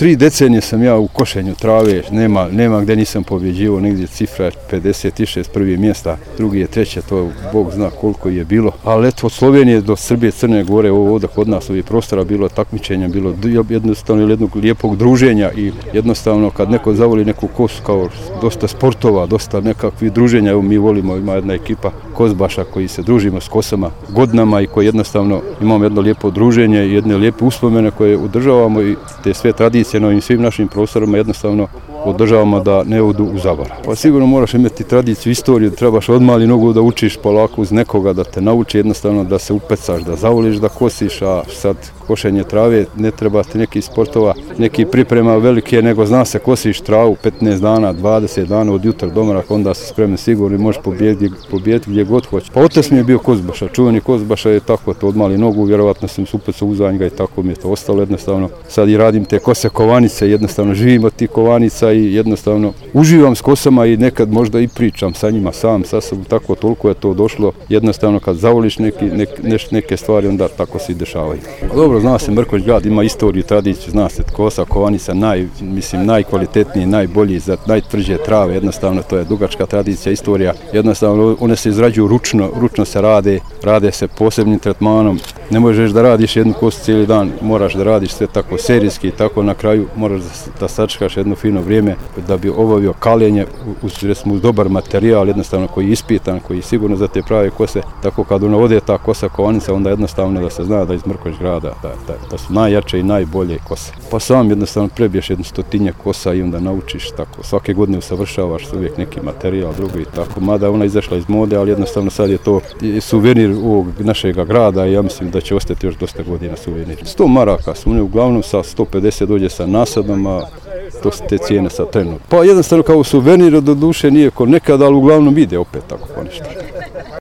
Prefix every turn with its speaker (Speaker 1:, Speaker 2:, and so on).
Speaker 1: 3 decenije sam ja u košenju trave, nema gdje nisam pobjeđivao, negdje cifra 56 prvi mjesta, drugi je treće, to Bog zna koliko je bilo. Ali eto, od Slovenije do Srbije, Crne Gore, ovo ovdje kod nas ovih prostora bilo takmičenja, bilo jednostavno jednog lijepog druženja i jednostavno kad neko zavoli neku kosu, kao dosta sportova, dosta nekakvih druženja, evo mi volimo, ima jedna ekipa kozbaša koji se družimo s kosama godinama i koji jednostavno imamo jedno lijepo druženje i jedne lijepe uspomene koje održavamo i te sve tradicije na ovim svim našim prostorima jednostavno održavamo da ne odu u zaborav. Pa sigurno moraš imati tradiciju, istoriju, trebaš od mali nogu da učiš polako uz nekoga, da te nauči jednostavno da se upecaš, da zavoliš da kosiš, a sad košenje trave ne treba ti nekih sportova, neki priprema velike, nego zna se kosiš travu 15 dana, 20 dana od jutra do mraka, onda si spreman sigurno i možeš pobijediti gdje god hoće. Pa otac mi je bio kozbaša, čuveni kozbaša je tako to od mali nogu, vjerovatno sam se upecao u zanjega i tako mi je to ostalo jednostavno. Sad i radim te kose kovanice, jednostavno živim od tih kovanica i jednostavno uživam s kosama i nekad možda i pričam sa njima sam, sa sobom, tako toliko je to došlo, jednostavno kad zavoliš neke stvari onda tako se i dešavaju. Dobro, zna se Mrkonjić grad, ima istoriju, tradiciju, zna se kosa, kovanica, najkvalitetniji, najbolji za najtvrđe trave, jednostavno to je dugačka tradicija, istorija, jednostavno one se izrađuju ručno se rade se posebnim tretmanom, ne možeš da radiš jednu kosu cijeli dan, moraš da radiš sve tako serijski, tako na kraju moraš da sačekaš jedno fino vrijeme da bi obavio kaljenje uz dobar materijal, jednostavno koji je ispitan, koji je sigurno za te prave kose, tako kad ona ode ta kosa kovanica, onda jednostavno da se zna da iz Mrkonjić grada da su najjače i najbolje kose. Pa sam jednostavno prebiješ 100 kosa i onda naučiš tako, svake godine usavršavaš uvijek neki materijal, drugo i tako, mada ona izašla iz mode, ali jednostavno sad je to suvenir ovog našeg grada i ja mislim da će ostati još dosta godina suvenir. 100 maraka su uglavnom sa 150 dođe sa nasadom, a to su te cijene sa trenutno. Pa jednostavno kao suvenir do duše nije ko nekada, ali uglavnom ide opet tako pa ništa.